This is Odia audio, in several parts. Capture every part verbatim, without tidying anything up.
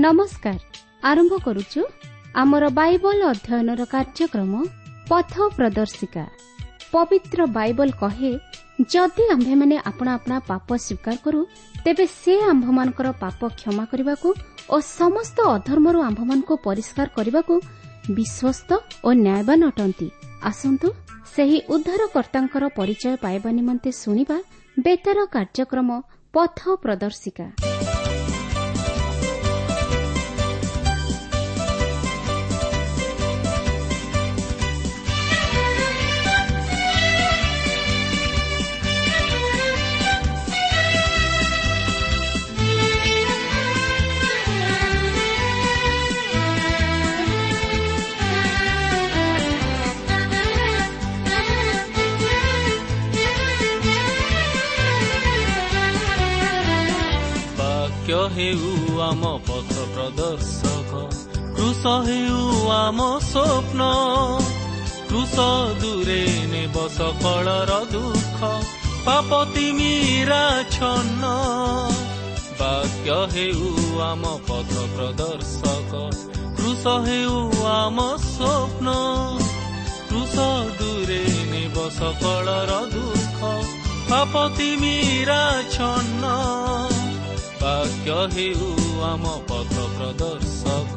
ନମସ୍କାର। ଆରମ୍ଭ କରୁଛୁ ଆମର ବାଇବଲ ଅଧ୍ୟୟନର କାର୍ଯ୍ୟକ୍ରମ ପଥ ପ୍ରଦର୍ଶିକା। ପବିତ୍ର ବାଇବଲ କହେ, ଯଦି ଆମ୍ଭେମାନେ ଆପଣା ଆପଣା ପାପ ସ୍ୱୀକାର କରୁ, ତେବେ ସେ ଆମ୍ଭମାନଙ୍କର ପାପ କ୍ଷମା କରିବାକୁ ଓ ସମସ୍ତ ଅଧର୍ମରୁ ଆମ୍ଭମାନଙ୍କୁ ପରିଷ୍କାର କରିବାକୁ ବିଶ୍ୱସ୍ତ ଓ ନ୍ୟାୟବାନ ଅଟନ୍ତି। ଆସନ୍ତୁ ସେହି ଉଦ୍ଧାରକର୍ତ୍ତାଙ୍କର ପରିଚୟ ପାଇବା ନିମନ୍ତେ ଶୁଣିବା ବେତାର କାର୍ଯ୍ୟକ୍ରମ ପଥ ପ୍ରଦର୍ଶିକା। ହେଉ ଆମ ପଥ ପ୍ରଦର୍ଶକ, କୃଷ ହେଉ ଆମ ସ୍ୱପ୍ନ। କୃଷ ଦୂରେ ନେବ ସକଳର ଦୁଃଖ, ପାପ ତିମିରା ଛନ୍ନ। ବାକ୍ୟ ହେଉ ଆମ ପଥ ପ୍ରଦର୍ଶକ, କୃଷ ହେଉ ଆମ ସ୍ୱପ୍ନ। କୃଷ ଦୂରେ ନେବ ସକଳର ଦୁଃଖ, ପାପ ତିମିରା ଛନ୍ନ। ବାକ୍ୟ ହେଉ ଆମ ପଥ ପ୍ରଦର୍ଶକ।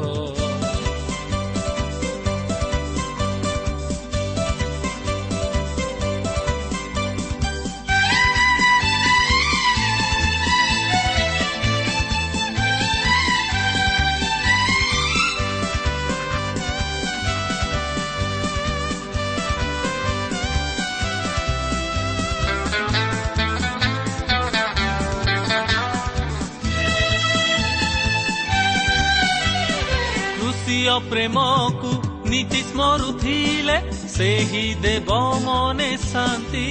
ପ୍ରେମକୁ ନୀତି ସ୍ମରୁଥିଲେ ସେହି ଦେବ ମନେ ଶାନ୍ତି।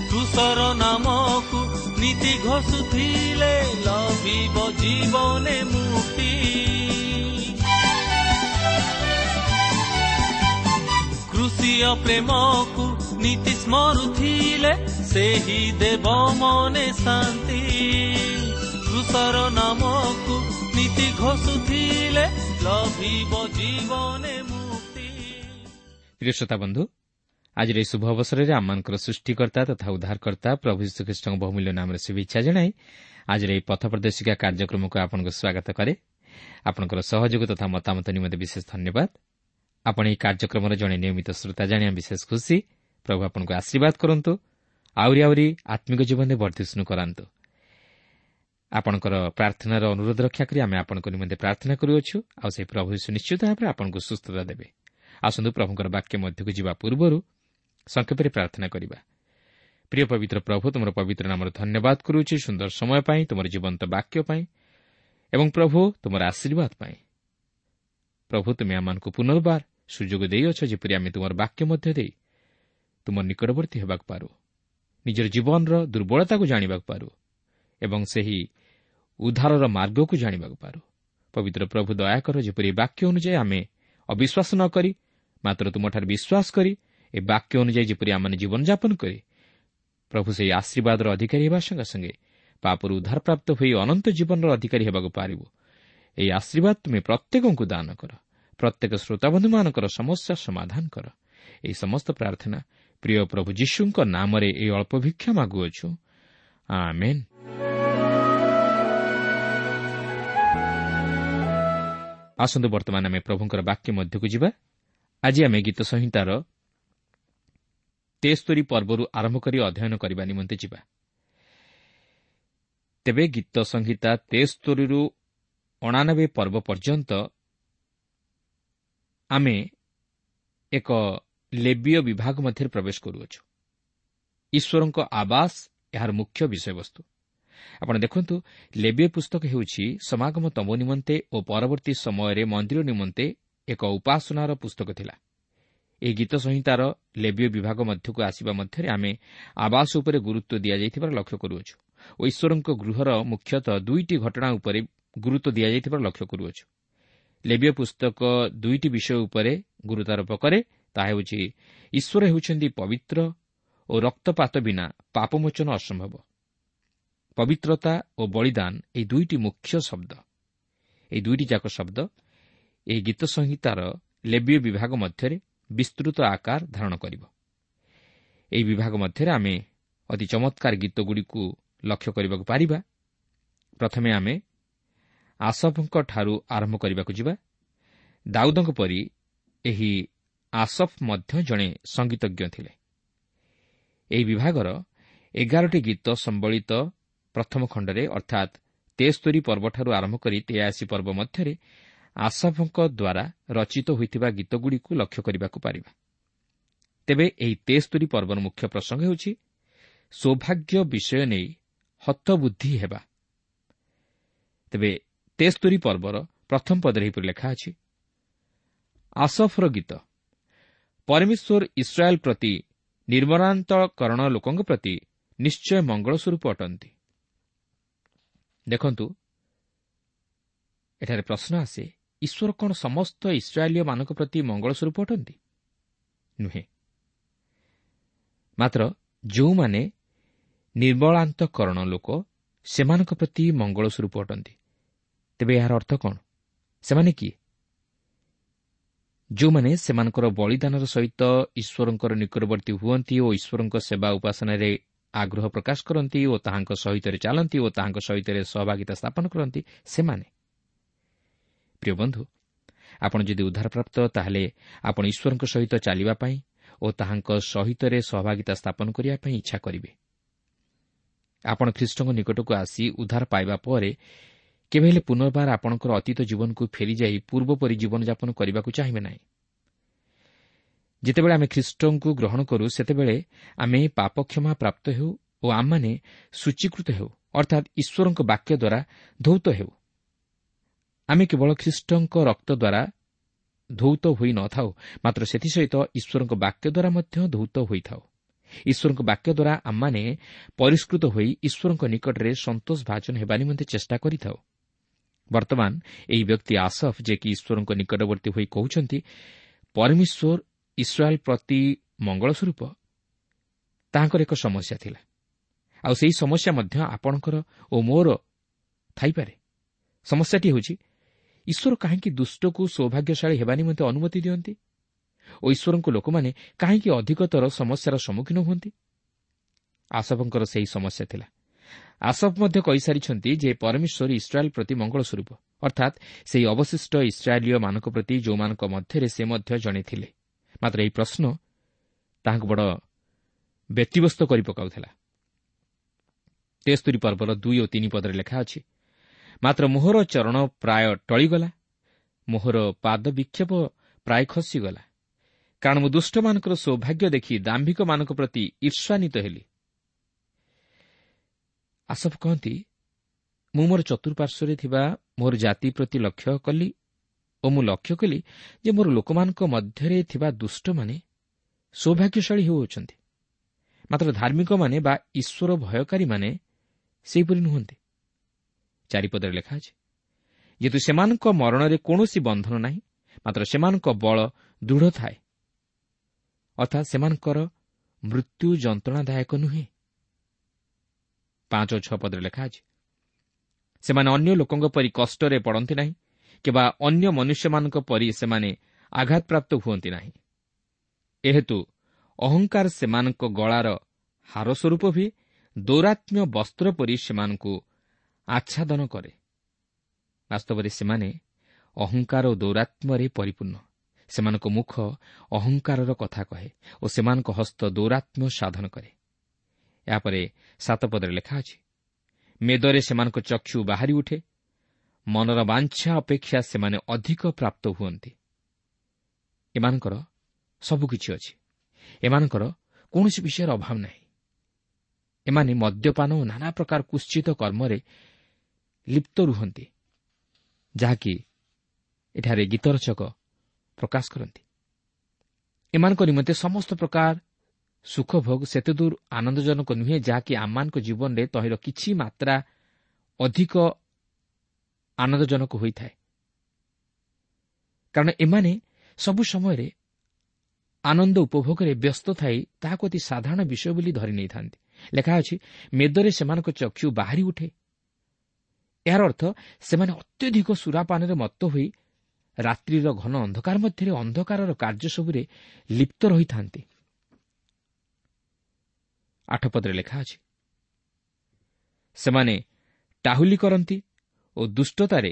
କୃଷର ନାମକୁ ନୀତି ଘୋଷୁଥିଲେ ଲଭିବ ଜୀବନେ ମୁକ୍ତି। କୃଷିୟ ପ୍ରେମକୁ ନୀତି ସ୍ମରୁଥିଲେ ସେହି ଦେବ ମନେ ଶାନ୍ତି। କୃଷର ନାମକୁ ନୀତି ଘୋଷୁଥିଲେ ଲଭିବ ଜୀବନେ ମୁକ୍ତି। ପ୍ରିୟ ଶ୍ରୋତା ବନ୍ଧୁ, ଆଜିର ଏହି ଶୁଭ ଅବସରରେ ଆମମାନଙ୍କର ସୃଷ୍ଟିକର୍ତ୍ତା ତଥା ଉଦ୍ଧାରକର୍ତ୍ତା ପ୍ରଭୁ ଯୀଶୁଖ୍ରୀଷ୍ଟଙ୍କ ବହୁମୂଲ୍ୟ ନାମରେ ଶୁଭେଚ୍ଛା ଜଣାଇ ଆଜିର ଏହି ପଥ ପ୍ରଦର୍ଶିକା କାର୍ଯ୍ୟକ୍ରମକୁ ଆପଣଙ୍କୁ ସ୍ୱାଗତ କରେ। ଆପଣଙ୍କର ସହଯୋଗ ତଥା ମତାମତ ନିମନ୍ତେ ବିଶେଷ ଧନ୍ୟବାଦ। ଆପଣ ଏହି କାର୍ଯ୍ୟକ୍ରମର ଜଣେ ନିୟମିତ ଶ୍ରୋତା ଜାଣି ଆମେ ବିଶେଷ ଖୁସି। ପ୍ରଭୁ ଆପଣଙ୍କୁ ଆଶୀର୍ବାଦ କରନ୍ତୁ, ଆହୁରି ଆହୁରି ଆତ୍ମିକ ଜୀବନରେ ବର୍ଦ୍ଧିଷ୍ଣୁ କରାନ୍ତୁ। ଆପଣଙ୍କର ପ୍ରାର୍ଥନାର ଅନୁରୋଧ ରକ୍ଷା କରି ଆମେ ଆପଣଙ୍କ ନିମନ୍ତେ ପ୍ରାର୍ଥନା କରୁଅଛୁ, ଆଉ ସେହି ପ୍ରଭୁ ଯୀଶୁ ନିଶ୍ଚିତ ଭାବରେ ଆପଣଙ୍କୁ ସୁସ୍ଥତା ଦେବେ। ଆସନ୍ତୁ ପ୍ରଭୁଙ୍କର ବାକ୍ୟ ମଧ୍ୟକୁ ଯିବା ପୂର୍ବରୁ ସଂକ୍ଷେପରେ ପ୍ରାର୍ଥନା କରିବା। ପ୍ରିୟ ପବିତ୍ର ପ୍ରଭୁ, ତୁମର ପବିତ୍ର ନାମର ଧନ୍ୟବାଦ କରୁଅଛି ସୁନ୍ଦର ସମୟ ପାଇଁ, ତୁମର ଜୀବନ୍ତ ବାକ୍ୟ ପାଇଁ ଏବଂ ପ୍ରଭୁ ତୁମର ଆଶୀର୍ବାଦ ପାଇଁ। ପ୍ରଭୁ, ତୁମେ ଆମମାନଙ୍କୁ ପୁନର୍ବାର ସୁଯୋଗ ଦେଇଅଛ ଯେପରି ଆମେ ତୁମର ବାକ୍ୟ ମଧ୍ୟ ଦେଇ ତୁମ ନିକଟବର୍ତ୍ତୀ ହେବାକୁ ପାରୁ, ନିଜର ଜୀବନର ଦୁର୍ବଳତାକୁ ଜାଣିବାକୁ ପାରୁ ଏବଂ ସେହି ଉଦ୍ଧାରର ମାର୍ଗକୁ ଜାଣିବାକୁ ପାରୁ। ପବିତ୍ର ପ୍ରଭୁ, ଦୟାକର ଯେପରି ଏ ବାକ୍ୟ ଅନୁଯାୟୀ ଆମେ ଅବିଶ୍ୱାସ ନ କରି ମାତ୍ର ତୁମଠାରେ ବିଶ୍ୱାସ କରି ଏ ବାକ୍ୟ ଅନୁଯାୟୀ ଯେପରି ଆମମାନେ ଜୀବନଯାପନ କରି ପ୍ରଭୁ ସେହି ଆଶୀର୍ବାଦର ଅଧିକାରୀ ହେବା ସଙ୍ଗେ ସଙ୍ଗେ ପାପରୁ ଉଦ୍ଧାରପ୍ରାପ୍ତ ହୋଇ ଅନନ୍ତ ଜୀବନର ଅଧିକାରୀ ହେବାକୁ ପାରିବୁ। ଏହି ଆଶୀର୍ବାଦ ତୁମେ ପ୍ରତ୍ୟେକଙ୍କୁ ଦାନ କର, ପ୍ରତ୍ୟେକ ଶ୍ରୋତାବନ୍ଧୁମାନଙ୍କର ସମସ୍ୟା ସମାଧାନ କର। ଏହି ସମସ୍ତ ପ୍ରାର୍ଥନା ପ୍ରିୟ ପ୍ରଭୁ ଯୀଶୁଙ୍କ ନାମରେ ଏହି ଅଳ୍ପ ଭିକ୍ଷା ମାଗୁଅଛୁ, ଆମେନ୍। ଆସନ୍ତୁ ବର୍ତ୍ତମାନ ଆମେ ପ୍ରଭୁଙ୍କର ବାକ୍ୟ ମଧ୍ୟକୁ ଯିବା। ଆଜି ଆମେ ଗୀତ ସଂହିତାର ତେସ୍ତରୀ ପର୍ବରୁ ଆରମ୍ଭ କରି ଅଧ୍ୟୟନ କରିବା ନିମନ୍ତେ ଯିବା। ତେବେ ଗୀତ ସଂହିତା ତେସ୍ତରୀରୁ ଅଣାନବେ ପର୍ବ ପର୍ଯ୍ୟନ୍ତ ଆମେ ଏକ ଲେବୀୟ ବିଭାଗ ମଧ୍ୟରେ ପ୍ରବେଶ କରୁଅଛୁ। ଈଶ୍ୱରଙ୍କ ଆବାସ ଏହାର ମୁଖ୍ୟ ବିଷୟବସ୍ତୁ। ଆପଣ ଦେଖନ୍ତୁ, ଲେବୀୟ ପୁସ୍ତକ ହେଉଛି ସମାଗମ ତମ୍ବୁ ନିମନ୍ତେ ଓ ପରବର୍ତ୍ତୀ ସମୟରେ ମନ୍ଦିର ନିମନ୍ତେ ଏକ ଉପାସନାର ପୁସ୍ତକ ଥିଲା। ଏହି ଗୀତ ସଂହିତାର ଲେବୀୟ ବିଭାଗ ମଧ୍ୟକୁ ଆସିବା ମଧ୍ୟରେ ଆମେ ଆବାସ ଉପରେ ଗୁରୁତ୍ୱ ଦିଆଯାଇଥିବାର ଲକ୍ଷ୍ୟ କରୁଅଛୁ ଓ ଈଶ୍ୱରଙ୍କ ଗୃହର ମୁଖ୍ୟତଃ ଦୁଇଟି ଘଟଣା ଉପରେ ଗୁରୁତ୍ୱ ଦିଆଯାଇଥିବାର ଲକ୍ଷ୍ୟ କରୁଅଛୁ। ଲେବୀୟ ପୁସ୍ତକ ଦୁଇଟି ବିଷୟ ଉପରେ ଗୁରୁତ୍ୱାରୋପ କରେ, ତାହା ହେଉଛି ଈଶ୍ୱର ହେଉଛନ୍ତି ପବିତ୍ର ଓ ରକ୍ତପାତ ବିନା ପାପମୋଚନ ଅସମ୍ଭବ। ପବିତ୍ରତା ଓ ବଳିଦାନ ଏହି ଦୁଇଟି ମୁଖ୍ୟ ଶବ୍ଦ। ଏହି ଦୁଇଟି ଯାକ ଶବ୍ଦ ଏହି ଗୀତ ସଂହିତାର ଲେବୀୟ ବିଭାଗ ମଧ୍ୟରେ ବିସ୍ତୃତ ଆକାର ଧାରଣ କରିବ। ଏହି ବିଭାଗ ମଧ୍ୟରେ ଆମେ ଅତି ଚମତ୍କାର ଗୀତଗୁଡ଼ିକୁ ଲକ୍ଷ୍ୟ କରିବାକୁ ପାରିବା। ପ୍ରଥମେ ଆମେ ଆସଫଙ୍କଠାରୁ ଆରମ୍ଭ କରିବାକୁ ଯିବା। ଦାଉଦଙ୍କ ପରି ଏହି ଆସଫ ମଧ୍ୟ ଜଣେ ସଙ୍ଗୀତଜ୍ଞ ଥିଲେ। ଏହି ବିଭାଗର ଏଗାରଟି ଗୀତ ସମ୍ବଳିତ ପ୍ରଥମ ଖଣ୍ଡରେ ଅର୍ଥାତ୍ ତେସ୍ତରୀ ପର୍ବଠାରୁ ଆରମ୍ଭ କରି ତେୟାଅଶୀ ପର୍ବ ମଧ୍ୟରେ ଆସଫଙ୍କ ଦ୍ୱାରା ରଚିତ ହୋଇଥିବା ଗୀତଗୁଡ଼ିକୁ ଲକ୍ଷ୍ୟ କରିବାକୁ ପାରିବା। ତେବେ ଏହି ତେସ୍ତରୀ ପର୍ବର ମୁଖ୍ୟ ପ୍ରସଙ୍ଗ ହେଉଛି ସୌଭାଗ୍ୟ ବିଷୟ ନେଇ ହତବୁଦ୍ଧି ହେବା। ତେବେ ତେସ୍ତରୀ ପର୍ବର ପ୍ରଥମ ପଦରେ ଏହିପରି ଲେଖା ଅଛି, ଆସଫର ଗୀତ। ପରମେଶ୍ୱର ଇସ୍ରାଏଲ୍ ପ୍ରତି ନିର୍ମଳାନ୍ତକରଣ ଲୋକଙ୍କ ପ୍ରତି ନିଶ୍ଚୟ ମଙ୍ଗଳ ସ୍ୱରୂପ ଅଟନ୍ତି। ଦେଖନ୍ତୁ, ଏଠାରେ ପ୍ରଶ୍ନ ଆସେ, ଈଶ୍ୱର କ'ଣ ସମସ୍ତ ଇସ୍ରାଏଲୀୟମାନଙ୍କ ପ୍ରତି ମଙ୍ଗଳ ସ୍ୱରୂପ ଅଟନ୍ତି? ନୁହେଁ। ମାତ୍ର ଯେଉଁମାନେ ନିର୍ମଳାନ୍ତକରଣ ଲୋକ ସେମାନଙ୍କ ପ୍ରତି ମଙ୍ଗଳ ସ୍ୱରୂପ ଅଟନ୍ତି। ତେବେ ଏହାର ଅର୍ଥ କ'ଣ? ସେମାନେ କିଏ? ଯେଉଁମାନେ ସେମାନଙ୍କର ବଳିଦାନର ସହିତ ଈଶ୍ୱରଙ୍କର ନିକଟବର୍ତ୍ତୀ ହୁଅନ୍ତି ଓ ଈଶ୍ୱରଙ୍କ ସେବା ଉପାସନାରେ ଆଗ୍ରହ ପ୍ରକାଶ କରନ୍ତି ଓ ତାହାଙ୍କ ସହିତରେ ଚାଲନ୍ତି ଓ ତାହାଙ୍କ ସହିତରେ ସହଭାଗିତା ସ୍ଥାପନ କରନ୍ତି, ସେମାନେ। ପ୍ରିୟ ବନ୍ଧୁ, ଆପଣ ଯଦି ଉଦ୍ଧାରପ୍ରାପ୍ତ, ତାହେଲେ ଆପଣ ଈଶ୍ୱରଙ୍କ ସହିତ ଚାଲିବା ପାଇଁ ଓ ତାହାଙ୍କ ସହିତରେ ସହଭାଗିତା ସ୍ଥାପନ କରିବା ପାଇଁ ଇଚ୍ଛା କରିବେ। ଆପଣ ଖ୍ରୀଷ୍ଟଙ୍କ ନିକଟକୁ ଆସି ଉଦ୍ଧାର ପାଇବା ପରେ କେବେ ହେଲେ ପୁନର୍ବାର ଆପଣଙ୍କର ଅତୀତ ଜୀବନକୁ ଫେରିଯାଇ ପୂର୍ବପରି ଜୀବନଯାପନ କରିବାକୁ ଚାହିଁବେ ନାହିଁ। ଯେତେବେଳେ ଆମେ ଖ୍ରୀଷ୍ଟଙ୍କୁ ଗ୍ରହଣ କରୁ, ସେତେବେଳେ ଆମେ ପାପକ୍ଷମା ପ୍ରାପ୍ତ ହେଉ ଓ ଆମମାନେ ସୂଚୀକୃତ ହେଉ, ଅର୍ଥାତ୍ ଈଶ୍ୱରଙ୍କ ବାକ୍ୟ ଦ୍ୱାରା ଧୌତ ହେଉ। ଆମେ କେବଳ ଖ୍ରୀଷ୍ଟଙ୍କ ରକ୍ତ ଦ୍ୱାରା ଧୌତ ହୋଇ ନଥାଉ, ମାତ୍ର ସେଥିସହିତ ଈଶ୍ୱରଙ୍କ ବାକ୍ୟ ଦ୍ୱାରା ମଧ୍ୟ ଧୌତ ହୋଇଥାଉ। ଈଶ୍ୱରଙ୍କ ବାକ୍ୟ ଦ୍ୱାରା ଆମମାନେ ପରିଷ୍କୃତ ହୋଇ ଈଶ୍ୱରଙ୍କ ନିକଟରେ ସନ୍ତୋଷ ଭାଜନ ହେବା ନିମନ୍ତେ ଚେଷ୍ଟା କରିଥାଉ। ବର୍ତ୍ତମାନ ଏହି ବ୍ୟକ୍ତି ଆସଫ, ଯେ କି ଈଶ୍ୱରଙ୍କ ନିକଟବର୍ତ୍ତୀ ହୋଇ କହୁଛନ୍ତି ପରମେଶ୍ୱର ଇସ୍ରାଏଲ୍ ପ୍ରତି ମଙ୍ଗଳ ସ୍ୱରୂପ, ତାହାଙ୍କର ଏକ ସମସ୍ୟା ଥିଲା। ଆଉ ସେହି ସମସ୍ୟା ମଧ୍ୟ ଆପଣଙ୍କର ଓ ମୋର ଥାଇପାରେ। ସମସ୍ୟାଟି ହେଉଛି, ଈଶ୍ୱର କାହିଁକି ଦୁଷ୍ଟକୁ ସୌଭାଗ୍ୟଶାଳୀ ହେବା ନିମନ୍ତେ ଅନୁମତି ଦିଅନ୍ତି ଓ ଈଶ୍ୱରଙ୍କ ଲୋକମାନେ କାହିଁକି ଅଧିକତର ସମସ୍ୟାର ସମ୍ମୁଖୀନ ହୁଅନ୍ତି? ଆସଫଙ୍କର ସେହି ସମସ୍ୟା ଥିଲା। ଆସଫ ମଧ୍ୟ କହିସାରିଛନ୍ତି ଯେ ପରମେଶ୍ୱର ଇସ୍ରାଏଲ୍ ପ୍ରତି ମଙ୍ଗଳ ସ୍ୱରୂପ, ଅର୍ଥାତ୍ ସେହି ଅବଶିଷ୍ଟ ଇସ୍ରାଏଲୀୟମାନଙ୍କ ପ୍ରତି ଯେଉଁମାନଙ୍କ ମଧ୍ୟରେ ସେ ମଧ୍ୟ ଜଣେ ଥିଲେ। ମାତ୍ର ଏହି ପ୍ରଶ୍ନ ତାହାଙ୍କୁ ବଡ଼ ବ୍ୟତିବ୍ୟସ୍ତ କରି ପକାଉଥିଲା। ତେସ୍ତରୀ ପର୍ବର ଦୁଇ ଓ ତିନି ପଦରେ ଲେଖା ଅଛି, ମାତ୍ର ମୋହର ଚରଣ ପ୍ରାୟ ଟଳିଗଲା, ମୋହର ପାଦ ବିକ୍ଷେପ ପ୍ରାୟ ଖସିଗଲା, କାରଣ ମୁଁ ଦୁଷ୍ଟମାନଙ୍କର ସୌଭାଗ୍ୟ ଦେଖି ଦାମ୍ଭିକମାନଙ୍କ ପ୍ରତି ଈର୍ଷାନ୍ୱିତ ହେଲି। ଆସଫ କହନ୍ତି, ମୁଁ ମୋର ଚତୁଃପାର୍ଶ୍ୱରେ ଥିବା ମୋର ଜାତି ପ୍ରତି ଲକ୍ଷ୍ୟ କଲି ଓ ମୁଁ ଲକ୍ଷ୍ୟ କଲି ଯେ ମୋର ଲୋକମାନଙ୍କ ମଧ୍ୟରେ ଥିବା ଦୁଷ୍ଟମାନେ ସୌଭାଗ୍ୟଶାଳୀ ହେଉଅଛନ୍ତି, ମାତ୍ର ଧାର୍ମିକମାନେ ବା ଈଶ୍ୱର ଭୟକାରୀମାନେ ସେହିପରି ନୁହନ୍ତି। ଚାରିପଦରେ ଲେଖା ଅଛି, ଯେହେତୁ ସେମାନଙ୍କ ମରଣରେ କୌଣସି ବନ୍ଧନ ନାହିଁ, ମାତ୍ର ସେମାନଙ୍କ ବଳ ଦୃଢ଼ ଥାଏ, ଅର୍ଥାତ୍ ସେମାନଙ୍କର ମୃତ୍ୟୁ ଯନ୍ତ୍ରଣାଦାୟକ ନୁହେଁ। ପାଞ୍ଚ ଓ ଛଅ ପଦରେ ଲେଖା ଅଛି, ସେମାନେ ଅନ୍ୟ ଲୋକଙ୍କ ପରି କଷ୍ଟରେ ପଡ଼ନ୍ତି ନାହିଁ କିମ୍ବା ଅନ୍ୟ ମନୁଷ୍ୟମାନଙ୍କ ପରି ସେମାନେ ଆଘାତପ୍ରାପ୍ତ ହୁଅନ୍ତି ନାହିଁ। ଏହେତୁ ଅହଙ୍କାର ସେମାନଙ୍କ ଗଳାର ହାର ସ୍ୱରୂପ ହୁଏ, ଦୌରାତ୍ମ୍ୟ ବସ୍ତ୍ର ପରି ସେମାନଙ୍କୁ ଆଚ୍ଛାଦନ କରେ। ବାସ୍ତବରେ ସେମାନେ ଅହଙ୍କାର ଓ ଦୌରାତ୍ମ୍ୟରେ ପରିପୂର୍ଣ୍ଣ। ସେମାନଙ୍କ ମୁଖ ଅହଙ୍କାରର କଥା କହେ ଓ ସେମାନଙ୍କ ହସ୍ତ ଦୌରାତ୍ମ୍ୟ ସାଧନ କରେ। ଏହାପରେ ସାତ ପଦରେ ଲେଖା ଅଛି, ମେଦରେ ସେମାନଙ୍କ ଚକ୍ଷୁ ବାହାରି ଉଠେ, ମନର ବାଞ୍ଛା ଅପେକ୍ଷା ସେମାନେ ଅଧିକ ପ୍ରାପ୍ତ ହୁଅନ୍ତି। ଏମାନଙ୍କର ସବୁକିଛି ଅଛି, ଏମାନଙ୍କର କୌଣସି ବିଷୟର ଅଭାବ ନାହିଁ। ଏମାନେ ମଦ୍ୟପାନ ଓ ନାନା ପ୍ରକାର କୁତ୍ସିତ କର୍ମରେ ଲିପ୍ତ ରୁହନ୍ତି, ଯାହାକି ଏଠାରେ ଗୀତରଚକ ପ୍ରକାଶ କରନ୍ତି। ଏମାନଙ୍କ ନିମନ୍ତେ ସମସ୍ତ ପ୍ରକାର ସୁଖଭୋଗ ସେତେଦୂର ଆନନ୍ଦଜନକ ନୁହେଁ, ଯାହାକି ଆମମାନଙ୍କ ଜୀବନରେ ତହିଁର କିଛି ମାତ୍ରା ଅଧିକ ଆନନ୍ଦଜନକ ହୋଇଥାଏ। କାରଣ ଏମାନେ ସବୁ ସମୟରେ ଆନନ୍ଦ ଉପଭୋଗରେ ବ୍ୟସ୍ତ ଥାଇ ତାହାକୁ ଅତି ସାଧାରଣ ବିଷୟ ବୋଲି ଧରି ନେଇଥାନ୍ତି। ଲେଖା ଅଛି, ମେଦରେ ସେମାନଙ୍କ ଚକ୍ଷୁ ବାହାରି ଉଠେ। ଏହାର ଅର୍ଥ ସେମାନେ ଅତ୍ୟଧିକ ସୁରାପାନରେ ମତ୍ତ ହୋଇ ରାତ୍ରିର ଘନ ଅନ୍ଧକାର ମଧ୍ୟରେ ଅନ୍ଧକାରର କାର୍ଯ୍ୟ ସବୁରେ ଲିପ୍ତ ରହିଥାନ୍ତି। ଆଠ ପଦରେ ଲେଖା ଅଛି, ସେମାନେ ଟାହୁଲି କରନ୍ତି ଓ ଦୁଷ୍ଟତାରେ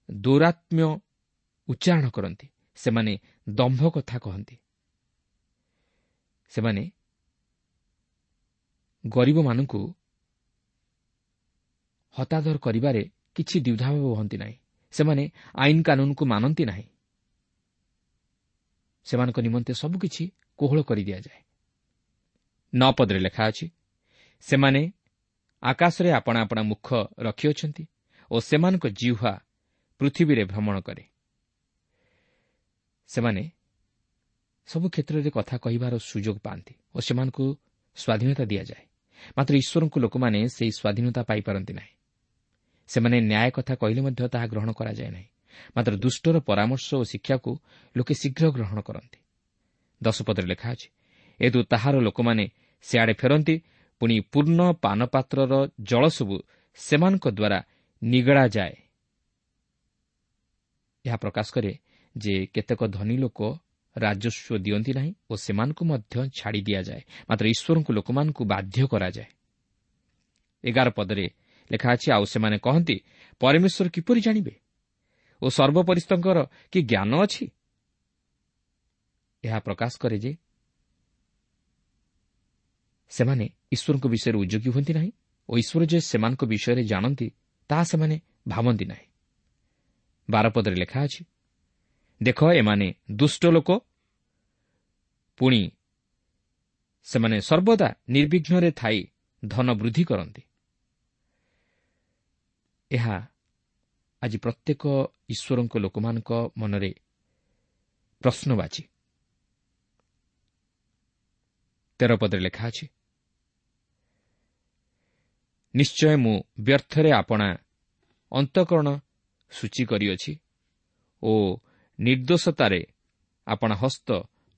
ଦୌରାତ୍ମ୍ୟ ଉଚ୍ଚାରଣ କରନ୍ତି। ସେମାନେ ଦମ୍ଭ କଥା କହନ୍ତି। ସେମାନେ ଗରିବମାନଙ୍କୁ ହତାଦର କରିବାରେ କିଛି ଦ୍ୱିଧାଭାବ ହୁଅନ୍ତି ନାହିଁ। ସେମାନେ ଆଇନ କାନୁନକୁ ମାନନ୍ତି ନାହିଁ। ସେମାନଙ୍କ ନିମନ୍ତେ ସବୁକିଛି କୋହଳ କରିଦିଆଯାଏ। ନଅ ପଦରେ ଲେଖା ଅଛି, ସେମାନେ ଆକାଶରେ ଆପଣା ଆପଣା ମୁଖ ରଖିଅଛନ୍ତି ଓ ସେମାନଙ୍କ ଜିହ୍ୱା ପୃଥିବୀରେ ଭ୍ରମଣ କରେ। ସେମାନେ ସବୁ କ୍ଷେତ୍ରରେ କଥା କହିବାର ସୁଯୋଗ ପାଆନ୍ତି ଓ ସେମାନଙ୍କୁ ସ୍ୱାଧୀନତା ଦିଆଯାଏ। ମାତ୍ର ଈଶ୍ୱରଙ୍କୁ ଲୋକମାନେ ସେହି ସ୍ୱାଧୀନତା ପାଇପାରନ୍ତି ନାହିଁ। ସେମାନେ ନ୍ୟାୟ କଥା କହିଲେ ମଧ୍ୟ ତାହା ଗ୍ରହଣ କରାଯାଏ ନାହିଁ। ମାତ୍ର ଦୁଷ୍ଟର ପରାମର୍ଶ ଓ ଶିକ୍ଷାକୁ ଲୋକେ ଶୀଘ୍ର ଗ୍ରହଣ କରନ୍ତି। ଦଶ ପଦରେ ଲେଖା ଅଛି, ଏଦୁ ତାହାର ଲୋକମାନେ ସିଆଡ଼େ ଫେରନ୍ତି, ପୁଣି ପୂର୍ଣ୍ଣ ପାନପାତ୍ରର ଜଳସବୁ ସେମାନଙ୍କ ଦ୍ୱାରା ନିଗଡ଼ାଯାଏ। ଏହା ପ୍ରକାଶ କରେ ଯେ କେତେକ ଧନୀ ଲୋକ ରାଜସ୍ୱ ଦିଅନ୍ତି ନାହିଁ ଓ ସେମାନଙ୍କୁ ମଧ୍ୟ ଛାଡ଼ି ଦିଆଯାଏ, ମାତ୍ର ଈଶ୍ୱରଙ୍କୁ ଲୋକମାନଙ୍କୁ ବାଧ୍ୟ କରାଯାଏ। ଏଗାର ପଦରେ ଲେଖା ଅଛି, ଆଉ ସେମାନେ କହନ୍ତି, ପରମେଶ୍ୱର କିପରି ଜାଣିବେ ଓ ସର୍ବପରିସ୍ତଙ୍କର କି ଜ୍ଞାନ ଅଛି? ଏହା ପ୍ରକାଶ କରେ ଯେ ସେମାନେ ଈଶ୍ୱରଙ୍କ ବିଷୟରେ ଉଦ୍ଯୋଗୀ ହୁଅନ୍ତି ନାହିଁ ଓ ଈଶ୍ୱର ଯେ ସେମାନଙ୍କ ବିଷୟରେ ଜାଣନ୍ତି ତାହା ସେମାନେ ଭାବନ୍ତି ନାହିଁ। ବାର ପଦରେ ଲେଖା ଅଛି, ଦେଖ, ଏମାନେ ଦୁଷ୍ଟ ଲୋକ, ପୁଣି ସେମାନେ ସର୍ବଦା ନିର୍ବିଘ୍ନରେ ଥାଇ ଧନ ବୃଦ୍ଧି କରନ୍ତି। ଏହା ଆଜି ପ୍ରତ୍ୟେକ ଈଶ୍ୱରଙ୍କ ଲୋକମାନଙ୍କ ମନରେ ପ୍ରଶ୍ନବାଚୀ। ତେର ପଦରେ ଲେଖା ଅଛି, ନିଶ୍ଚୟ ମୁଁ ବ୍ୟର୍ଥରେ ଆପଣା ଅନ୍ତଃକରଣ ସୂଚୀ କରିଅଛି ଓ ନିର୍ଦ୍ଦୋଷତାରେ ଆପଣା ହସ୍ତ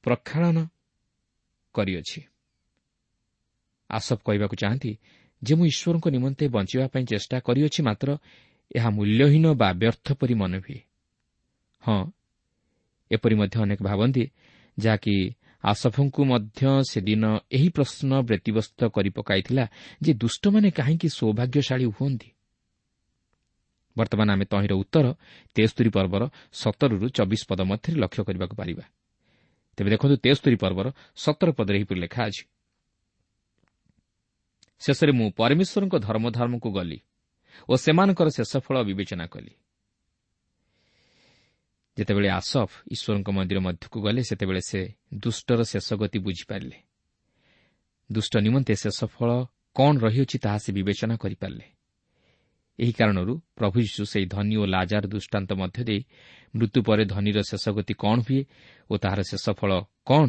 ପ୍ରକ୍ଷାଳନ କରିଅଛି। ଆସଫ କହିବାକୁ ଚାହାନ୍ତି ଯେ ମୁଁ ଈଶ୍ୱରଙ୍କ ନିମନ୍ତେ ବଞ୍ଚିବା ପାଇଁ ଚେଷ୍ଟା କରିଅଛି, ମାତ୍ର ଏହା ମୂଲ୍ୟହୀନ ବା ବ୍ୟର୍ଥ ପରି ମନେ ହୁଏ। ହଁ, ଏପରି ମଧ୍ୟ ଅନେକ ଭାବନ୍ତି, ଯାହାକି ଆସଫଙ୍କୁ ମଧ୍ୟ ସେଦିନ ଏହି ପ୍ରଶ୍ନ ବ୍ୟତିବ୍ୟସ୍ତ କରି ପକାଇଥିଲା ଯେ ଦୁଷ୍ଟମାନେ କାହିଁକି ସୌଭାଗ୍ୟଶାଳୀ ହୁଅନ୍ତି। ବର୍ତ୍ତମାନ ଆମେ ତହିଁର ଉତ୍ତର ତେସ୍ତରୀ ପର୍ବର ସତରରୁ ଚବିଶ ପଦ ମଧ୍ୟରେ ଲକ୍ଷ୍ୟ କରିବାକୁ ପାରିବା। ତେବେ ଦେଖନ୍ତୁ, ତେସ୍ତରୀ ପର୍ବର ସତର ପଦରେ ଏହିପରି ଲେଖା ଅଛି, ଶେଷରେ ମୁଁ ପରମେଶ୍ୱରଙ୍କ ଧର୍ମଧର୍ମକୁ ଗଲି ଓ ସେମାନଙ୍କର ଶେଷ ଫଳ ବିବେଚନା କଲି। ଯେତେବେଳେ ଆସଫ ଈଶ୍ୱରଙ୍କ ମନ୍ଦିର ମଧ୍ୟକୁ ଗଲେ, ସେତେବେଳେ ସେ ଦୁଷ୍ଟର ଶେଷ ଗତି ବୁଝିପାରିଲେ। ଦୁଷ୍ଟ ନିମନ୍ତେ ଶେଷ ଫଳ କ'ଣ ରହିଅଛି ତାହା ସେ ବିବେଚନା କରିପାରିଲେ। ଏହି କାରଣରୁ ପ୍ରଭୁ ଯୀଶୁ ସେହି ଧନୀ ଓ ଲାଜାର ଦୃଷ୍ଟାନ୍ତ ମଧ୍ୟ ଦେଇ ମୃତ୍ୟୁ ପରେ ଧନୀର ଶେଷ ଗତି କ'ଣ ହୁଏ ଓ ତାହାର ଶେଷ ଫଳ କ'ଣ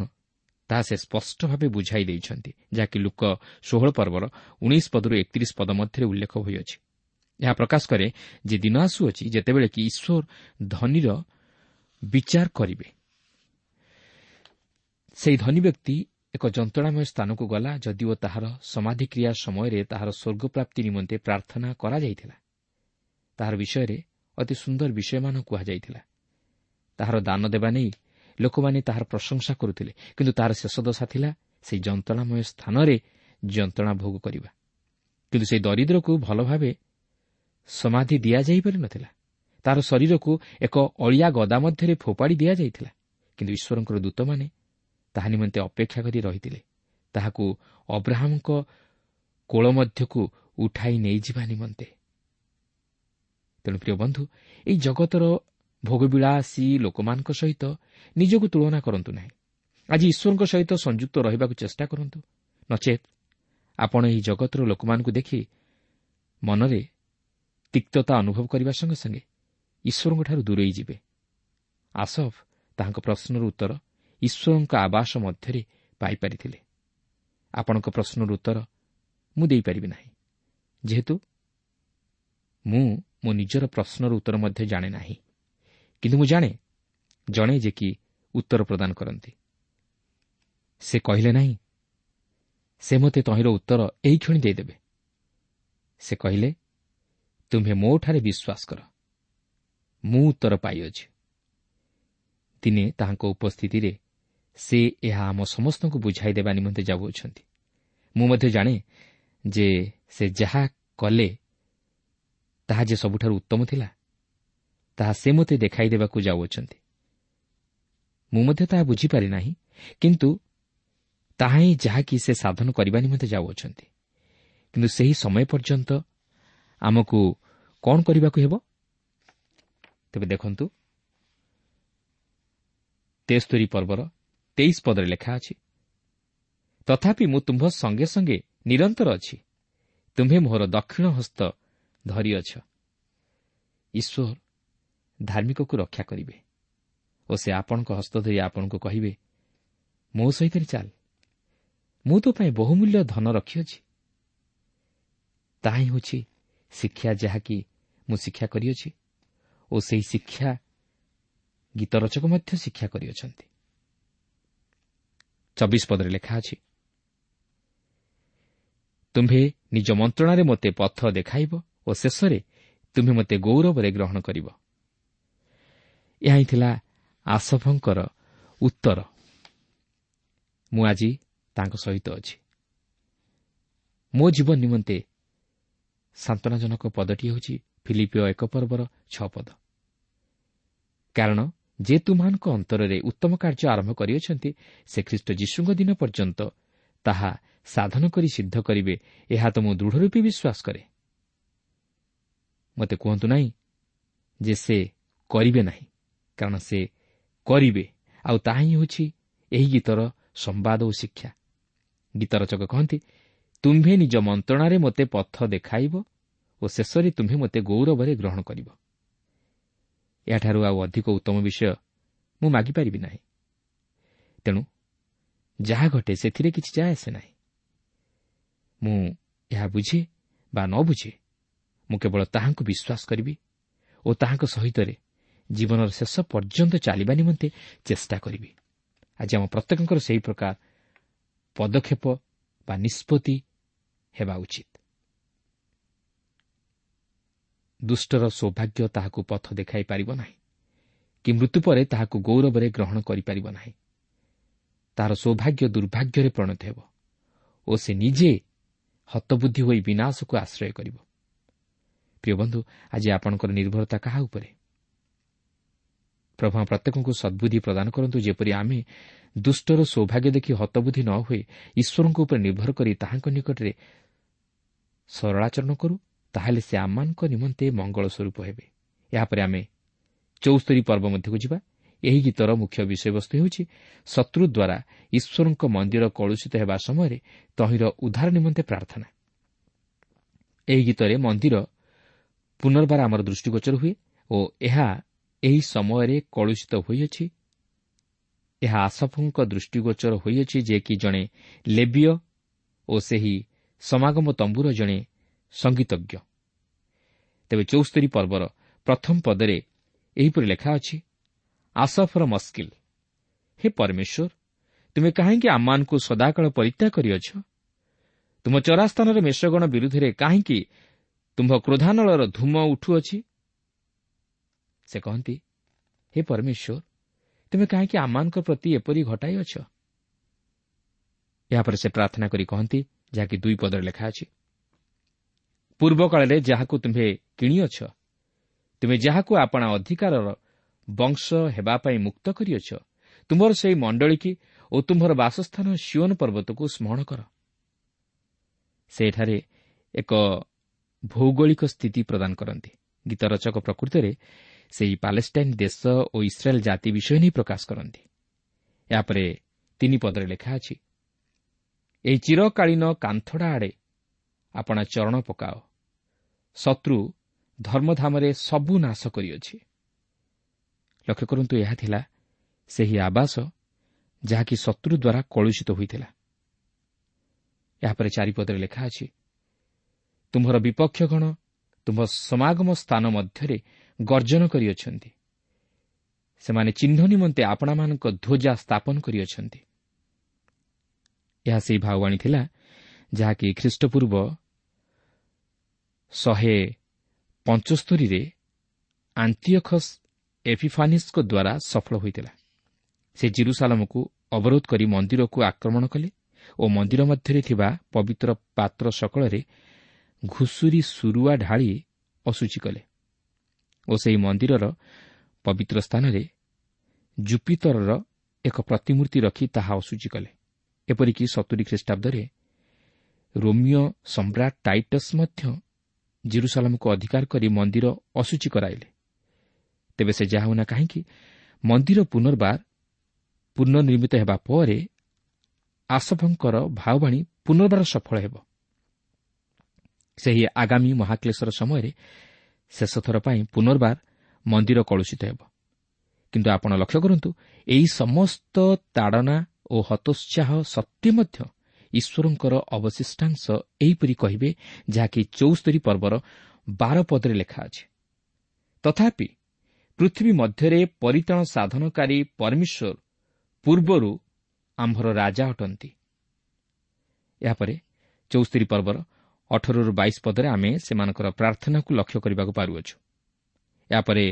ତାହା ସେ ସ୍ପଷ୍ଟ ଭାବେ ବୁଝାଇ ଦେଇଛନ୍ତି, ଯାହାକି ଲୂକ ଷୋହଳ ପର୍ବର ଉଣେଇଶ ପଦରୁ ଏକତିରିଶ ପଦ ମଧ୍ୟରେ ଉଲ୍ଲେଖ ହୋଇଅଛି। ଏହା ପ୍ରକାଶ କରେ ଯେ ଦିନ ଆସୁଅଛି ଯେତେବେଳେ କି ଈଶ୍ୱର ଧନୀର ବିଚାର କରିବେ। ସେହି ଧନୀ ବ୍ୟକ୍ତି ଏକ ଯନ୍ତ୍ରଣାମୟ ସ୍ଥାନକୁ ଗଲା, ଯଦିଓ ତାହାର ସମାଧିକ୍ରିୟା ସମୟରେ ତାହାର ସ୍ୱର୍ଗପ୍ରାପ୍ତି ନିମନ୍ତେ ପ୍ରାର୍ଥନା କରାଯାଇଥିଲା। ତାହାର ବିଷୟରେ ଅତି ସୁନ୍ଦର ବିଷୟମାନ କୁହାଯାଇଥିଲା। ତାହାର ଦାନ ଦେବା ନେଇ ଲୋକମାନେ ତାହାର ପ୍ରଶଂସା କରୁଥିଲେ, କିନ୍ତୁ ତାହାର ଶେଷ ଦଶା ଥିଲା ସେହି ଯନ୍ତ୍ରଣାମୟ ସ୍ଥାନରେ ଯନ୍ତ୍ରଣା ଭୋଗ କରିବା। କିନ୍ତୁ ସେହି ଦରିଦ୍ରକୁ ଭଲ ଭାବେ ସମାଧି ଦିଆଯାଇପାରିନଥିଲା। ତାହାର ଶରୀରକୁ ଏକ ଅଳିଆ ଗଦା ମଧ୍ୟରେ ଫୋପାଡ଼ି ଦିଆଯାଇଥିଲା, କିନ୍ତୁ ଈଶ୍ୱରଙ୍କର ଦୂତମାନେ ତାହା ନିମନ୍ତେ ଅପେକ୍ଷା କରି ରହିଥିଲେ, ତାହାକୁ ଅବ୍ରାହମଙ୍କ କୋଳ ମଧ୍ୟକୁ ଉଠାଇ ନେଇଯିବା ନିମନ୍ତେ। ତେଣୁ ପ୍ରିୟ ବନ୍ଧୁ, ଏହି ଜଗତର ଭୋଗବିଳାସୀ ଲୋକମାନଙ୍କ ସହିତ ନିଜକୁ ତୁଳନା କରନ୍ତୁ ନାହିଁ। ଆଜି ଈଶ୍ୱରଙ୍କ ସହିତ ସଂଯୁକ୍ତ ରହିବାକୁ ଚେଷ୍ଟା କରନ୍ତୁ, ନଚେତ୍ ଆପଣ ଏହି ଜଗତର ଲୋକମାନଙ୍କୁ ଦେଖି ମନରେ ତିକ୍ତତା ଅନୁଭବ କରିବା ସଙ୍ଗେ ସଙ୍ଗେ ଈଶ୍ୱରଙ୍କଠାରୁ ଦୂରେଇ ଯିବେ। ଆସଫ ତାହାଙ୍କ ପ୍ରଶ୍ନର ଉତ୍ତର ଈଶ୍ୱରଙ୍କ ଆବାସ ମଧ୍ୟରେ ପାଇପାରିଥିଲେ। ଆପଣଙ୍କ ପ୍ରଶ୍ନର ଉତ୍ତର ମୁଁ ଦେଇପାରିବି ନାହିଁ, ଯେହେତୁ ମୁଁ ମୋ ନିଜର ପ୍ରଶ୍ନର ଉତ୍ତର ମଧ୍ୟ ଜାଣେ ନାହିଁ। କିନ୍ତୁ ମୁଁ ଜାଣେ ଜଣେ ଯେ କି ଉତ୍ତର ପ୍ରଦାନ କରନ୍ତି। ସେ କହିଲେ ନାହିଁ, ସେ ମୋତେ ତହିଁର ଉତ୍ତର ଏହିକ୍ଷଣି ଦେଇଦେବେ। ସେ କହିଲେ, ତୁମ୍ଭେ ମୋଠାରେ ବିଶ୍ୱାସ କର, ମୁଁ ଉତ୍ତର ପାଇଅଛି। ଦିନେ ତାହାଙ୍କ ଉପସ୍ଥିତିରେ ସେ ଏହା ଆମ ସମସ୍ତଙ୍କୁ ବୁଝାଇ ଦେବା ନିମନ୍ତେ ଯାଉଅଛନ୍ତି। ମୁଁ ମଧ୍ୟ ଜାଣେ ଯେ ସେ ଯାହା କଲେ ତାହା ଯେ ସବୁଠାରୁ ଉତ୍ତମ ଥିଲା, ତାହା ସେ ମୋତେ ଦେଖାଇ ଦେବାକୁ ଯାଉଅଛନ୍ତି। ମୁଁ ମଧ୍ୟ ତାହା ବୁଝିପାରି ନାହିଁ, କିନ୍ତୁ ତାହା ହିଁ ଯାହାକି ସେ ସାଧନ କରିବା ନିମନ୍ତେ ଯାଉଅଛନ୍ତି। କିନ୍ତୁ ସେହି ସମୟ ପର୍ଯ୍ୟନ୍ତ ଆମକୁ କ'ଣ କରିବାକୁ ହେବ? ତେବେ ଦେଖନ୍ତୁ, ତେସ୍ତରୀ ପର୍ବର ତେଇଶ ପଦରେ ଲେଖା ଅଛି, ତଥାପି ମୁଁ ତୁମ୍ଭ ସଙ୍ଗେ ସଙ୍ଗେ ନିରନ୍ତର ଅଛି, ତୁମ୍ଭେ ମୋହର ଦକ୍ଷିଣ ହସ୍ତ ଧରିଅଛ। ଈଶ୍ୱର ଧାର୍ମିକକୁ ରକ୍ଷା କରିବେ ଓ ସେ ଆପଣଙ୍କ ହସ୍ତ ଧରି ଆପଣଙ୍କୁ କହିବେ, ମୋ ସହିତ ଚାଲ, ମୁଁ ତୋ ପାଇଁ ବହୁମୂଲ୍ୟ ଧନ ରଖିଅଛି। ତାହା ହିଁ ହେଉଛି ଶିକ୍ଷା ଯାହାକି ମୁଁ ଶିକ୍ଷା କରିଅଛି ଓ ସେହି ଶିକ୍ଷା ଗୀତ ରଚକ ମଧ୍ୟ ଶିକ୍ଷା କରିଅଛନ୍ତି। ଚବିଶ ପଦରେ ଲେଖା ଅଛି, ତୁମ୍ଭେ ନିଜ ମନ୍ତ୍ରଣାରେ ମୋତେ ପଥ ଦେଖାଇବ ଓ ଶେଷରେ ତୁମ୍ଭେ ମୋତେ ଗୌରବରେ ଗ୍ରହଣ କରିବ। ଏହା ହିଁ ଥିଲା ଆସଫଙ୍କର ଉତ୍ତର। ମୁଁ ଆଜି ତାଙ୍କ ସହିତ ଅଛି। ମୋ ଜୀବନ ନିମନ୍ତେ ସାନ୍ତ୍ୱନାଜନକ ପଦଟି ହେଉଛି ଫିଲିପିୟ ଏକ ପର୍ବର ଛଅ ପଦ, କାରଣ ଯେ ତୁମ୍ଭମାନଙ୍କ ଅନ୍ତରରେ ଉତ୍ତମ କାର୍ଯ୍ୟ ଆରମ୍ଭ କରିଅଛନ୍ତି, ସେ ଖ୍ରୀଷ୍ଟ ଯୀଶୁଙ୍କ ଦିନ ପର୍ଯ୍ୟନ୍ତ ତାହା ସାଧନ କରି ସିଦ୍ଧ କରିବେ, ଏହା ତ ମୁଁ ଦୃଢ଼ ରୂପେ ବିଶ୍ୱାସ କରେ। ମୋତେ କୁହନ୍ତୁ ନାହିଁ ଯେ ସେ କରିବେ ନାହିଁ, କାରଣ ସେ କରିବେ, ଆଉ ତାହା ହିଁ ହେଉଛି ଏହି ଗୀତର ସମ୍ବାଦ ଓ ଶିକ୍ଷା। ଗୀତ ରଚକ କହନ୍ତି, ତୁମ୍ଭେ ନିଜ ମନ୍ତ୍ରଣାରେ ମୋତେ ପଥ ଦେଖାଇବ ଓ ଶେଷରେ ତୁମ୍ଭେ ମୋତେ ଗୌରବରେ ଗ୍ରହଣ କରିବ। ଏହାଠାରୁ ଆଉ ଅଧିକ ଉତ୍ତମ ବିଷୟ ମୁଁ ମାଗିପାରିବି ନାହିଁ। ତେଣୁ ଯାହା ଘଟେ ସେଥିରେ କିଛି ଯାଏ ଆସେ ନାହିଁ। ମୁଁ ଏହା ବୁଝେ ବା ନ ବୁଝେ, ମୁଁ କେବଳ ତାହାଙ୍କୁ ବିଶ୍ୱାସ କରିବି ଓ ତାହାଙ୍କ ସହିତରେ ଜୀବନର ଶେଷ ପର୍ଯ୍ୟନ୍ତ ଚାଲିବା ନିମନ୍ତେ ଚେଷ୍ଟା କରିବି। ଆଜି ଆମ ପ୍ରତ୍ୟେକଙ୍କର ସେହି ପ୍ରକାର ପଦକ୍ଷେପ ବା ନିଷ୍ପତ୍ତି ହେବା ଉଚିତ। ଦୁଷ୍ଟର ସୌଭାଗ୍ୟ ତାହାକୁ ପଥ ଦେଖାଇ ପାରିବ ନାହିଁ କି ମୃତ୍ୟୁ ପରେ ତାହାକୁ ଗୌରବରେ ଗ୍ରହଣ କରିପାରିବ ନାହିଁ। ତାହାର ସୌଭାଗ୍ୟ ଦୁର୍ଭାଗ୍ୟରେ ପରିଣତ ହେବ ଓ ସେ ନିଜେ ହତବୁଦ୍ଧି ହୋଇ ବିନାଶକୁ ଆଶ୍ରୟ କରିବ। ପ୍ରିୟ ବନ୍ଧୁ, ଆଜି ଆପଣଙ୍କର ନିର୍ଭରତା କାହା ଉପରେ? ପ୍ରଭୁ ପ୍ରତ୍ୟେକଙ୍କୁ ସଦ୍ବୁଦ୍ଧି ପ୍ରଦାନ କରନ୍ତୁ, ଯେପରି ଆମେ ଦୁଷ୍ଟର ସୌଭାଗ୍ୟ ଦେଖି ହତବୁଦ୍ଧି ନ ହୋଇ ଈଶ୍ୱରଙ୍କ ଉପରେ ନିର୍ଭର କରି ତାହାଙ୍କ ନିକଟରେ ସରଳାଚରଣ କରୁ, ତାହେଲେ ସେ ଆମମାନଙ୍କ ନିମନ୍ତେ ମଙ୍ଗଳ ସ୍ୱରୂପ ହେବେ। ଏହାପରେ ଆମେ ଚଉସ୍ତରୀ ପର୍ବ ମଧ୍ୟକୁ ଯିବା। ଏହି ଗୀତର ମୁଖ୍ୟ ବିଷୟବସ୍ତୁ ହେଉଛି ଶତ୍ରୁ ଦ୍ୱାରା ଈଶ୍ୱରଙ୍କ ମନ୍ଦିର କଳୁଷିତ ହେବା ସମୟରେ ତହିଁର ଉଦ୍ଧାର ନିମନ୍ତେ ପ୍ରାର୍ଥନା। ଏହି ଗୀତରେ ମନ୍ଦିର ପୁନର୍ବାର ଆମର ଦୃଷ୍ଟିଗୋଚର ହୁଏ ଓ ଏହା ଏହି ସମୟରେ କଳୁଷିତ ହୋଇଅଛି। ଏହା ଆସଫଙ୍କ ଦୃଷ୍ଟିଗୋଚର ହୋଇଅଛି, ଯେ କି ଜଣେ ଲେବୀୟ ଓ ସେହି ସମାଗମ ତମ୍ବୁର ଜଣେ ସଙ୍ଗୀତଜ୍ଞ। ତେବେ ଚଉସ୍ତରୀ ପର୍ବର ପ୍ରଥମ ପଦରେ ଏହିପରି ଲେଖା ଅଛି, ଆସଫର ମସ୍କିଲ, ହେ ପରମେଶ୍ୱର, ତୁମେ କାହିଁକି ଆମମାନଙ୍କୁ ସଦାକାଳ ପରିତ୍ୟାଗ କରିଅଛ? ତୁମ ଚରାସ୍ଥାନରେ ମେଷଗଣ ବିରୁଦ୍ଧରେ କାହିଁକି ତୁମ୍ଭ କ୍ରୋଧାନଳର ଧୂମ ଉଠୁଅଛି? ସେ କହନ୍ତି, ହେ ପରମେଶ୍ୱର, ତୁମେ କାହିଁକି ଆମମାନଙ୍କ ପ୍ରତି ଏପରି ଘଟାଇଅଛ? ଏହାପରେ ସେ ପ୍ରାର୍ଥନା କରି କହନ୍ତି, ଯାହାକି ଦୁଇ ପଦରେ ଲେଖା ଅଛି, ପୂର୍ବକାଳରେ ଯାହାକୁ ତୁମ୍ଭେ କିଣିଅଛ, ତୁମେ ଯାହାକୁ ଆପଣା ଅଧିକାରର ବଂଶ ହେବା ପାଇଁ ମୁକ୍ତ କରିଅଛ, ତୁମ୍ଭର ସେହି ମଣ୍ଡଳୀକି ଓ ତୁମ୍ଭର ବାସସ୍ଥାନ ସିଓନ ପର୍ବତକୁ ସ୍ମରଣ କର। ସେ ଏଠାରେ ଏକ ଭୌଗୋଳିକ ସ୍ଥିତି ପ୍ରଦାନ କରନ୍ତି। ଗୀତ ରଚକ ପ୍ରକୃତରେ ସେହି ପାଲେଷ୍ଟାଇନ୍ ଦେଶ ଓ ଇସ୍ରାଏଲ୍ ଜାତି ବିଷୟ ନେଇ ପ୍ରକାଶ କରନ୍ତି। ଏହାପରେ ତିନି ପଦରେ ଲେଖା ଅଛି, ଏହି ଚିରକାଳୀନ କାନ୍ଥଡ଼ା ଆଡ଼େ ଆପଣା ଚରଣ ପକାଅ, ଶତ୍ରୁ ଧର୍ମଧାମରେ ସବୁ ନାଶ କରିଅଛି। ଲକ୍ଷ୍ୟ କରନ୍ତୁ, ଏହା ଥିଲା ସେହି ଆବାସ ଯାହାକି ଶତ୍ରୁ ଦ୍ୱାରା କଳୁଷିତ ହୋଇଥିଲା। ଏହାପରେ ଚାରିପଦରେ ଲେଖା ଅଛି, ତୁମ୍ଭର ବିପକ୍ଷଗଣ ତୁମ୍ଭ ସମାଗମ ସ୍ଥାନ ମଧ୍ୟରେ ଗର୍ଜନ କରିଅଛନ୍ତି, ସେମାନେ ଚିହ୍ନ ନିମନ୍ତେ ଆପଣାମାନଙ୍କ ଧ୍ୱଜା ସ୍ଥାପନ କରିଅଛନ୍ତି। ଏହା ସେହି ଭାବବାଣୀ ଥିଲା ଯାହାକି ଖ୍ରୀଷ୍ଟପୂର୍ବ ଶହେ ପଞ୍ଚସ୍ତରୀରେ ଆଣ୍ଟିଅଖସ୍ ଏଫିଫାନିସ୍ଙ୍କ ଦ୍ୱାରା ସଫଳ ହୋଇଥିଲା। ସେ ଜିରୁସାଲମକୁ ଅବରୋଧ କରି ମନ୍ଦିରକୁ ଆକ୍ରମଣ କଲେ ଓ ମନ୍ଦିର ମଧ୍ୟରେ ଥିବା ପବିତ୍ର ପାତ୍ର ସକଳରେ ଘୁଷୁରୀ ସୁରୁଆ ଢାଳି ଅଶୁଚି କଲେ ଓ ସେହି ମନ୍ଦିରର ପବିତ୍ର ସ୍ଥାନରେ ଜୁପିତରର ଏକ ପ୍ରତିମୂର୍ତ୍ତି ରଖି ତାହା ଅଶୁଚି କଲେ। ଏପରିକି ସତୁରୀ ଖ୍ରୀଷ୍ଟାବ୍ଦରେ ରୋମିଓ ସମ୍ରାଟ ଟାଇଟସ୍ ମଧ୍ୟ ଜିରୁସାଲମକୁ ଅଧିକାର କରି ମନ୍ଦିର ଅଶୁଚି କରାଇଲେ। ତେବେ ସେ ଯାହା ହେଉନା କାହିଁକି, ମନ୍ଦିର ପୁନର୍ବାର ପୁନର୍ନିର୍ମିତ ହେବା ପରେ ଆସଫଙ୍କର ଭାବବାଣୀ ପୁନର୍ବାର ସଫଳ ହେବ। ସେହି ଆଗାମୀ ମହାକ୍ଲେଶର ସମୟରେ ଶେଷଥର ପାଇଁ ପୁନର୍ବାର ମନ୍ଦିର କଳୁଷିତ ହେବ। କିନ୍ତୁ ଆପଣ ଲକ୍ଷ୍ୟ କରନ୍ତୁ, ଏହି ସମସ୍ତ ତାଡ଼ନା ଓ ହତୋତ୍ସାହ ସତ୍ତ୍ୱେ ମଧ୍ୟ ଈଶ୍ୱରଙ୍କର ଅବଶିଷ୍ଟାଂଶ ଏହିପରି କହିବେ, ଯାହାକି ଚଉସ୍ତରୀ ପର୍ବର ବାର ପଦରେ ଲେଖା ଅଛି, ତଥାପି ପୃଥିବୀ ମଧ୍ୟରେ ପରିତ୍ରାଣ ସାଧନକାରୀ ପରମେଶ୍ୱର ପୂର୍ବରୁ ଆମ୍ଭର ରାଜା ଅଟନ୍ତି। ଏହାପରେ ଚଉସ୍ତରୀ ପର୍ବର ଅଠରରୁ ବାଇଶ ପଦରେ ଆମେ ସେମାନଙ୍କର ପ୍ରାର୍ଥନାକୁ ଲକ୍ଷ୍ୟ କରିବାକୁ ପାରୁଅଛୁ। ଏହାପରେ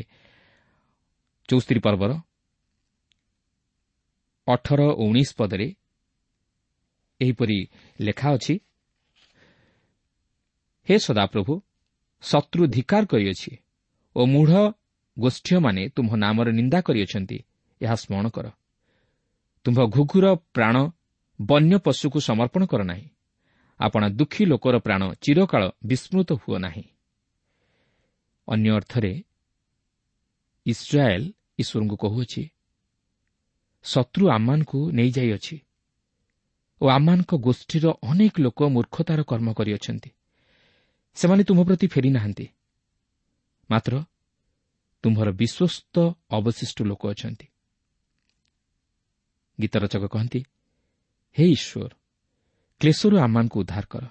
ଚଉସ୍ତରୀ ପର୍ବର ଅଠର ଓ ଉଣେଇଶ ପଦରେ ଏହିପରି ଲେଖା ଅଛି, ହେ ସଦାପ୍ରଭୁ, ଶତ୍ରୁ ଧିକାର କରିଅଛି ଓ ମୂଢ଼ ଗୋଷ୍ଠୀୟମାନେ ତୁମ୍ଭ ନାମରେ ନିନ୍ଦା କରିଅଛନ୍ତି, ଏହା ସ୍ମରଣ କର। ତୁମ୍ଭ ଘୁଘୁର ପ୍ରାଣ ବନ୍ୟ ପଶୁକୁ ସମର୍ପଣ କର ନାହିଁ, ଆପଣା ଦୁଃଖୀ ଲୋକର ପ୍ରାଣ ଚିରକାଳ ବିସ୍ମୃତ ହୁଅ ନାହିଁ। ଅନ୍ୟ ଅର୍ଥରେ ଇସ୍ରାଏଲ୍ ଈଶ୍ୱରଙ୍କୁ କହୁଅଛି, ଶତ୍ରୁ ଆମମାନଙ୍କୁ ନେଇଯାଇଅଛି ଓ ଆମମାନଙ୍କ ଗୋଷ୍ଠୀର ଅନେକ ଲୋକ ମୂର୍ଖତାର କର୍ମ କରିଅଛନ୍ତି, ସେମାନେ ତୁମ୍ଭ ପ୍ରତି ଫେରିନାହାନ୍ତି, ମାତ୍ର ତୁମ୍ଭର ବିଶ୍ୱସ୍ତ ଅବଶିଷ୍ଟ ଲୋକ ଅଛନ୍ତି। ଗୀତ ରଚକ କହନ୍ତି, ହେ ଈଶ୍ୱର, କ୍ଲେଶରୁ ଆମମାନଙ୍କୁ ଉଦ୍ଧାର କର।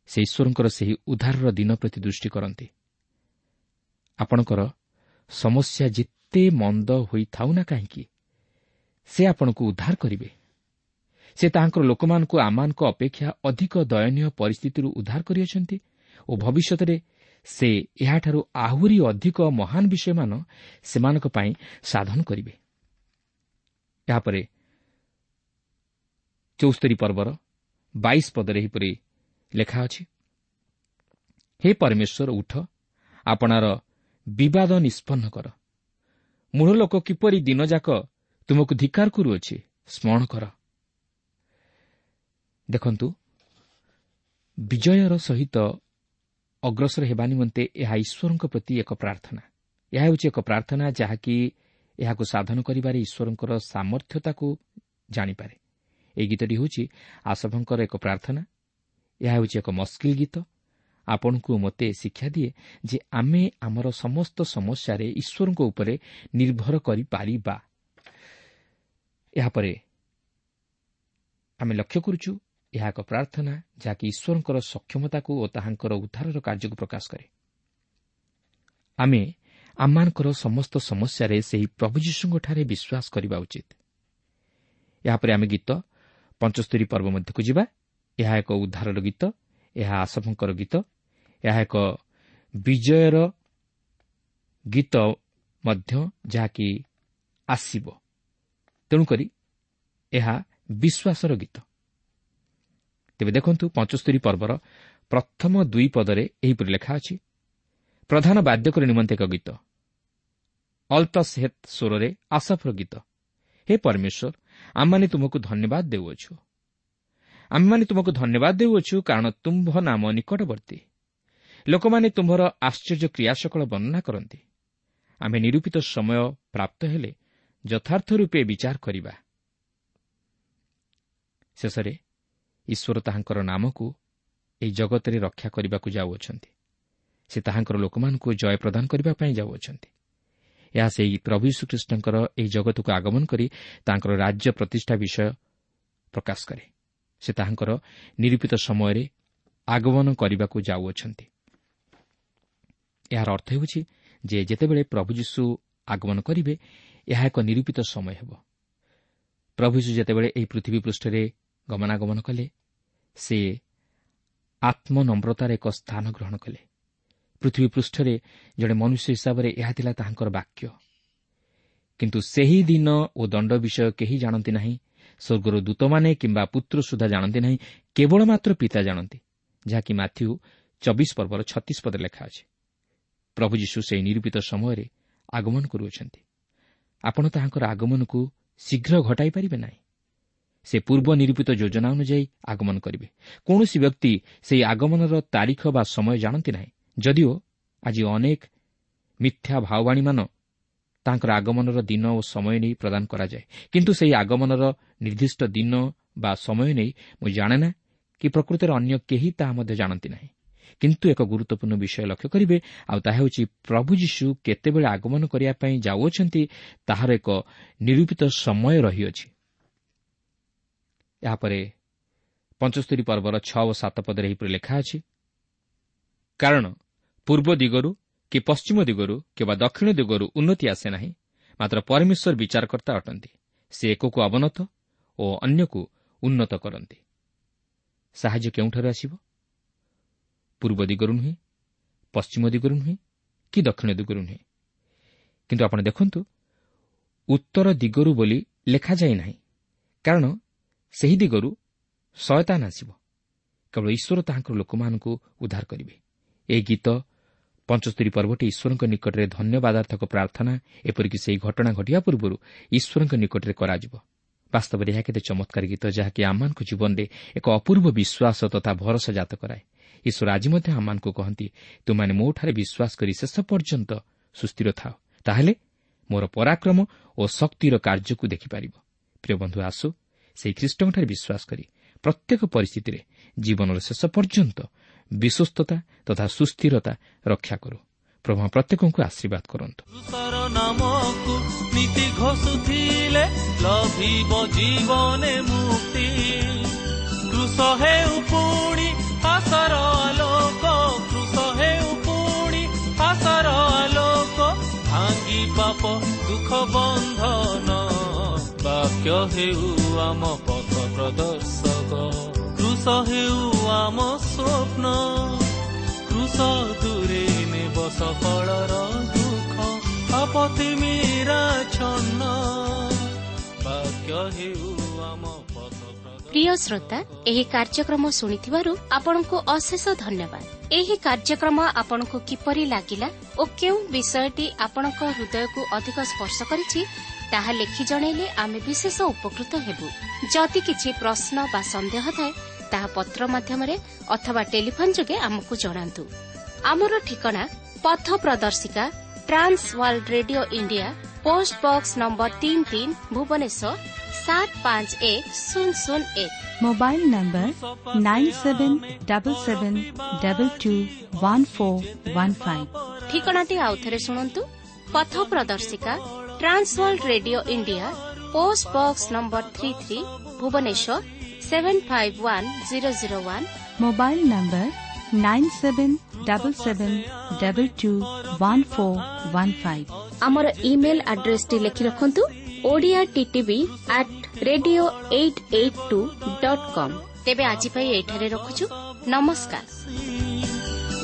ସେ ଈଶ୍ୱରଙ୍କର ସେହି ଉଦ୍ଧାରର ଦିନ ପ୍ରତି ଦୃଷ୍ଟି କରନ୍ତି। ଆପଣଙ୍କର ସମସ୍ୟା ଯେତେ ମନ୍ଦ ହୋଇଥାଉ ନା କାହିଁକି, ସେ ଆପଣଙ୍କୁ ଉଦ୍ଧାର କରିବେ। ସେ ତାହାଙ୍କର ଲୋକମାନଙ୍କୁ ଆମମାନଙ୍କ ଅପେକ୍ଷା ଅଧିକ ଦୟନୀୟ ପରିସ୍ଥିତିରୁ ଉଦ୍ଧାର କରିଅଛନ୍ତି ଓ ଭବିଷ୍ୟତରେ ସେ ଏହାଠାରୁ ଆହୁରି ଅଧିକ ମହାନ ବିଷୟମାନ ସେମାନଙ୍କ ପାଇଁ ସାଧନ କରିବେ। ଏହାପରେ ଚଉସ୍ତରୀ ପର୍ବର ବାଇଶ ପଦରେ ଏହିପରି ଲେଖା ଅଛି, ହେ ପରମେଶ୍ୱର, ଉଠ, ଆପଣାର ବିବାଦ ନିଷ୍ପନ୍ନ କର। ମୂଢ଼ ଲୋକ କିପରି ଦିନଯାକ ତୁମକୁ ଧିକ୍କାର କରୁଅଛି, ସ୍ମରଣ କର। ଦେଖନ୍ତୁ, ବିଜୟର ସହିତ ଅଗ୍ରସର ହେବା ନିମନ୍ତେ ଏହା ଈଶ୍ୱରଙ୍କ ପ୍ରତି ଏକ ପ୍ରାର୍ଥନା। ଏହା ହେଉଛି ଏକ ପ୍ରାର୍ଥନା ଯାହାକି ଏହାକୁ ସାଧନ କରିବାରେ ଈଶ୍ୱରଙ୍କର ସାମର୍ଥ୍ୟତାକୁ ଜାଣିପାରେ। ଏହି ଗୀତଟି ହେଉଛି ଆସଫଙ୍କର ଏକ ପ୍ରାର୍ଥନା। ଏହା ହେଉଛି ଏକ ମସ୍କିଲ ଗୀତ। ଆପଣଙ୍କୁ ମୋତେ ଶିକ୍ଷା ଦିଏ ଯେ ଆମେ ଆମର ସମସ୍ତ ସମସ୍ୟାରେ ଈଶ୍ୱରଙ୍କ ଉପରେ ନିର୍ଭର କରିପାରିବା। ଏହାପରେ ଆମେ ଲକ୍ଷ୍ୟ କରୁଛୁ, ଏହା ଏକ ପ୍ରାର୍ଥନା ଯାହାକି ଈଶ୍ୱରଙ୍କର ସକ୍ଷମତାକୁ ଓ ତାହାଙ୍କର ଉଦ୍ଧାରର କାର୍ଯ୍ୟକୁ ପ୍ରକାଶ କରେ। ଆମେ ଆମମାନଙ୍କର ସମସ୍ତ ସମସ୍ୟାରେ ସେହି ପ୍ରଭୁ ଯୀଶୁଙ୍କଠାରେ ବିଶ୍ୱାସ କରିବା ଉଚିତ। ଏହାପରେ ଆମେ ଗୀତ ପଞ୍ଚସ୍ତରୀ ପର୍ବ ମଧ୍ୟକୁ ଯିବା। ଏହା ଏକ ଉଦ୍ଧାରର ଗୀତ, ଏହା ଆସଫଙ୍କର ଗୀତ, ଏହା ଏକ ବିଜୟର ଗୀତ ମଧ୍ୟ ଯାହାକି ଆସିବ। ତେଣୁକରି ଏହା ବିଶ୍ୱାସର ଗୀତ। ତେବେ ଦେଖନ୍ତୁ, ପଞ୍ଚସ୍ତରୀ ପର୍ବର ପ୍ରଥମ ଦୁଇ ପଦରେ ଏହିପରି ଲେଖା ଅଛି, ପ୍ରଧାନ ବାଦ୍ୟକର ନିମନ୍ତେ ଏକ ଗୀତ, ଅଲ୍ତସେହ୍ ସ୍ୱରରେ ଆସଫର ଗୀତ। ହେ ପରମେଶ୍ୱର, ଆମମାନେ ତୁମକୁ ଧନ୍ୟବାଦ ଦେଉଅଛୁ, ଆମେମାନେ ତୁମକୁ ଧନ୍ୟବାଦ ଦେଉଅଛୁ, କାରଣ ତୁମ୍ଭ ନାମ ନିକଟବର୍ତ୍ତୀ। ଲୋକମାନେ ତୁମ୍ଭର ଆଶ୍ଚର୍ଯ୍ୟ କ୍ରିୟା ସକଳ ବର୍ଣ୍ଣନା କରନ୍ତି। ଆମେ ନିରୂପିତ ସମୟ ପ୍ରାପ୍ତ ହେଲେ ଯଥାର୍ଥ ରୂପେ ବିଚାର କରିବା। ଶେଷରେ ଈଶ୍ୱର ତାହାଙ୍କର ନାମକୁ ଏହି ଜଗତରେ ରକ୍ଷା କରିବାକୁ ଯାଉଅଛନ୍ତି। ସେ ତାହାଙ୍କର ଲୋକମାନଙ୍କୁ ଜୟ ପ୍ରଦାନ କରିବା ପାଇଁ ଯାଉଅଛନ୍ତି। ଏହା ସେହି ପ୍ରଭୁ ଯୀଶୁଖ୍ରୀଷ୍ଟଙ୍କର ଏହି ଜଗତକୁ ଆଗମନ କରି ତାଙ୍କର ରାଜ୍ୟ ପ୍ରତିଷ୍ଠା ବିଷୟ ପ୍ରକାଶ କରେ। ସେ ତାହାଙ୍କର ନିରୂପିତ ସମୟରେ ଆଗମନ କରିବାକୁ ଯାଉଅଛନ୍ତି। ଏହାର ଅର୍ଥ ହେଉଛି ଯେ ଯେତେବେଳେ ପ୍ରଭୁ ଯୀଶୁ ଆଗମନ କରିବେ, ଏହା ଏକ ନିରୂପିତ ସମୟ ହେବ। ପ୍ରଭୁ ଯୀଶୁ ଯେତେବେଳେ ଏହି ପୃଥିବୀ ପୃଷ୍ଠରେ ଗମନାଗମନ କଲେ, ସେ ଆତ୍ମନମ୍ରତାର ଏକ ସ୍ଥାନ ଗ୍ରହଣ କଲେ। ପୃଥିବୀ ପୃଷ୍ଠରେ ଜଣେ ମନୁଷ୍ୟ ହିସାବରେ ଏହା ଥିଲା ତାହାଙ୍କର ବାକ୍ୟ। କିନ୍ତୁ ସେହି ଦିନ ଓ ଦଣ୍ଡ ବିଷୟ କେହି ଜାଣନ୍ତି ନାହିଁ, ସ୍ୱର୍ଗର ଦୂତମାନେ କିମ୍ବା ପୁତ୍ର ସୁଦ୍ଧା ଜାଣନ୍ତି ନାହିଁ, କେବଳ ମାତ୍ର ପିତା ଜାଣନ୍ତି, ଯାହାକି ମାଥ୍ୟୁ ଚବିଶ ପର୍ବର ଛତିଶ ପଦରେ ଲେଖା ଅଛି। ପ୍ରଭୁ ଯୀଶୁ ସେହି ନିରୂପିତ ସମୟରେ ଆଗମନ କରୁଅଛନ୍ତି। ଆପଣ ତାହାଙ୍କର ଆଗମନକୁ ଶୀଘ୍ର ଘଟାଇ ପାରିବେ ନାହିଁ। ସେ ପୂର୍ବ ନିରୂପିତ ଯୋଜନା ଅନୁଯାୟୀ ଆଗମନ କରିବେ। କୌଣସି ବ୍ୟକ୍ତି ସେହି ଆଗମନର ତାରିଖ ବା ସମୟ ଜାଣନ୍ତି ନାହିଁ। ଯଦିଓ ଆଜି ଅନେକ ମିଥ୍ୟା ଭାବବାଣୀମାନ ତାଙ୍କର ଆଗମନର ଦିନ ଓ ସମୟ ନେଇ ପ୍ରଦାନ କରାଯାଏ, କିନ୍ତୁ ସେହି ଆଗମନର ନିର୍ଦ୍ଦିଷ୍ଟ ଦିନ ବା ସମୟ ନେଇ ମୁଁ ଜାଣେ ନା କି ପ୍ରକୃତରେ ଅନ୍ୟ କେହି ତାହା ମଧ୍ୟ ଜାଣନ୍ତି ନାହିଁ। କିନ୍ତୁ ଏକ ଗୁରୁତ୍ୱପୂର୍ଣ୍ଣ ବିଷୟ ଲକ୍ଷ୍ୟ କରିବେ, ଆଉ ତାହା ହେଉଛି ପ୍ରଭୁ ଯୀଶୁ କେତେବେଳେ ଆଗମନ କରିବା ପାଇଁ ଯାଉଅଛନ୍ତି ତାହାର ଏକ ନିରୂପିତ ସମୟ ରହିଅଛି। ଏହାପରେ ପଞ୍ଚସ୍ତରୀ ପର୍ବର ଛଅ ଓ ସାତ ପଦରେ ଏହିପରି ଲେଖା ଅଛି, କାରଣ ପୂର୍ବ ଦିଗରୁ କି ପଶ୍ଚିମ ଦିଗରୁ କିମ୍ବା ଦକ୍ଷିଣ ଦିଗରୁ ଉନ୍ନତି ଆସେ ନାହିଁ, ମାତ୍ର ପରମେଶ୍ୱର ବିଚାରକର୍ତ୍ତା ଅଟନ୍ତି। ସେ ଏକକୁ ଅବନତ ଓ ଅନ୍ୟକୁ ଉନ୍ନତ କରନ୍ତି। ସାହାଯ୍ୟ କେଉଁଠାରୁ ଆସିବ? ପୂର୍ବ ଦିଗରୁ ନୁହେଁ, ପଶ୍ଚିମ ଦିଗରୁ ନୁହେଁ କି ଦକ୍ଷିଣ ଦିଗରୁ ନୁହେଁ। କିନ୍ତୁ ଆପଣ ଦେଖନ୍ତୁ, ଉତ୍ତର ଦିଗରୁ ବୋଲି ଲେଖାଯାଇ ନାହିଁ, କାରଣ ସେହି ଦିଗରୁ ଶୟତାନ ଆସିବ। କେବଳ ଈଶ୍ୱର ତାହାଙ୍କର ଲୋକମାନଙ୍କୁ ଉଦ୍ଧାର କରିବେ। ଏହି ଗୀତ ପଞ୍ଚସ୍ତରୀ ପର୍ବଟି ଈଶ୍ୱରଙ୍କ ନିକଟରେ ଧନ୍ୟବାଦାର୍ଥକ ପ୍ରାର୍ଥନା, ଏପରିକି ସେହି ଘଟଣା ଘଟିବା ପୂର୍ବରୁ ଈଶ୍ୱରଙ୍କ ନିକଟରେ କରାଯିବ। ବାସ୍ତବରେ ଏହା କେତେ ଚମତ୍କାର ଗୀତ, ଯାହାକି ଆମମାନଙ୍କ ଜୀବନରେ ଏକ ଅପୂର୍ବ ବିଶ୍ୱାସ ତଥା ଭରସା ଜାତ କରାଏ। ଈଶ୍ୱର ଆଜି ମଧ୍ୟ ଆମମାନଙ୍କୁ କହନ୍ତି, ତୁମେମାନେ ମୋଠାରେ ବିଶ୍ୱାସ କରି ଶେଷ ପର୍ଯ୍ୟନ୍ତ ସୁସ୍ଥିର ଥାଅ, ତାହେଲେ ମୋର ପରାକ୍ରମ ଓ ଶକ୍ତିର କାର୍ଯ୍ୟକୁ ଦେଖିପାରିବ। ପ୍ରିୟ ବନ୍ଧୁ, ଆସୁ ସେହି ଖ୍ରୀଷ୍ଟଙ୍କଠାରେ ବିଶ୍ୱାସ କରି ପ୍ରତ୍ୟେକ ପରିସ୍ଥିତିରେ ଜୀବନର ଶେଷ ପର୍ଯ୍ୟନ୍ତ ବିଶ୍ୱସ୍ତତା ତଥା ସୁସ୍ଥିରତା ରକ୍ଷା କରୁ। ପ୍ରଭୁ ପ୍ରତ୍ୟେକଙ୍କୁ ଆଶୀର୍ବାଦ କରନ୍ତୁ। ନାମକୁ ନୀତି ଘୋଷୁଥିଲେ ଲଭିବ ଜୀବନେ ମୁକ୍ତି। କୃଷ ହେଉ ପୁଣି ଆଶାର ଆଲୋକ, କୃଷ ହେଉ ପୁଣି ଆଶାର ଆଲୋକ, ଭାଙ୍ଗି ପାପ ଦୁଃଖ ବନ୍ଧନ, ବାକ୍ୟ ହେଉ ଆମ ପଥ ପ୍ରଦର୍ଶକ। କୃଷ ହେଉ ଆମ ସ୍ୱପ୍ନ, କୃଷ ଦୂରେ ନେବ ସଫଳର ଦୁଃଖ, ଆପତ୍ତି ମୀରା ଛନ୍ନ, ବାକ୍ୟ ହେଉ ଆମ ପଥ। ପ୍ରିୟ ଶ୍ରୋତା, ଏହି କାର୍ଯ୍ୟକ୍ରମ ଶୁଣିଥିବାରୁ ଆପଣଙ୍କୁ ଅଶେଷ ଧନ୍ୟବାଦ। ଏହି କାର୍ଯ୍ୟକ୍ରମ ଆପଣଙ୍କୁ କିପରି ଲାଗିଲା ଓ କେଉଁ ବିଷୟଟି ଆପଣଙ୍କ ହୃଦୟକୁ ଅଧିକ ସ୍ପର୍ଶ କରିଛି, ତାହା ଲେଖି ଜଣାଇଲେ ଆମେ ବିଶେଷ ଉପକୃତ ହେବୁ। ଯଦି କିଛି ପ୍ରଶ୍ନ ବା ସନ୍ଦେହ ଥାଏ, ତାହା ପତ୍ର ମାଧ୍ୟମରେ ଅଥବା ଟେଲିଫୋନ୍ ଯୋଗେ ଆମକୁ ଜଣାନ୍ତୁ। ଆମର ଠିକଣା ପଥ ପ୍ରଦର୍ଶିକା, trans world radio India, post box number ତିନି ତିନି, ଭୁବନେଶ୍ୱର ସାତ ପାଞ୍ଚ ଏକ ଶୂନ ଶୂନ ଏକ। Mobile number nine seven double seven double two one four one five. ଠିକଣାଟି ଆଉଥରେ ଶୁଣନ୍ତୁ। ପଥ ପ୍ରଦର୍ଶିକା, trans world radio India, post box number three three, Bhubaneswar seven five one zero zero one. Mobile number nine seven double seven double two one four one five. ଆମର ଇମେଲ୍ ଆଡ୍ରେସଟି ଲେଖି ରଖନ୍ତୁ, Odia TTV at radio eight eight two dot com. ତେବେ ଆଜି ପାଇଁ ଏଇଠାରେ ରଖୁଛୁ। ନମସ୍କାର।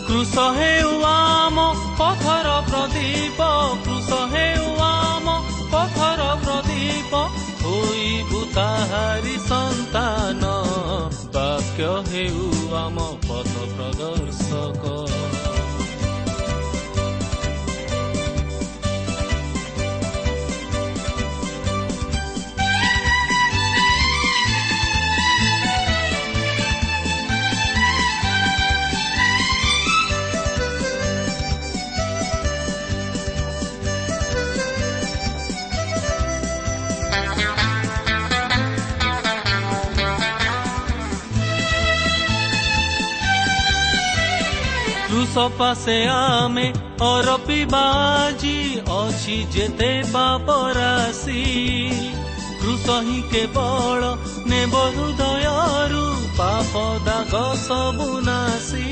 କୃଷ ହେଉ ଆମ ପଥର ପ୍ରଦୀପ, କୃଷ ହେଉ ଆମ ପଥର ପ୍ରଦୀପ, ହୋଇବୁ ତାହାରି ସନ୍ତାନ, ବାକ୍ୟ ହେଉ ଆମ ପଥ ପ୍ରଦର୍ଶକ। କୃଷ ପାଶେ ଆମେ ଅରପିବାଜି ଅଛି ଯେତେ ପାପ ରାଶି, କୃଷ ହିଁ କେବଳ ନେବ ହୃଦୟରୁ ପାପ ଦାଗ ସବୁ ନାସି।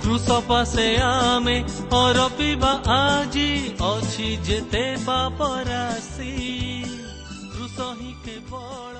କୃଷ ପାଶେ ଆମେ ଅରପିବା ଆଜି ଅଛି ଯେତେ ପାପ ରାଶି, କୃଷ ହିଁ କେବଳ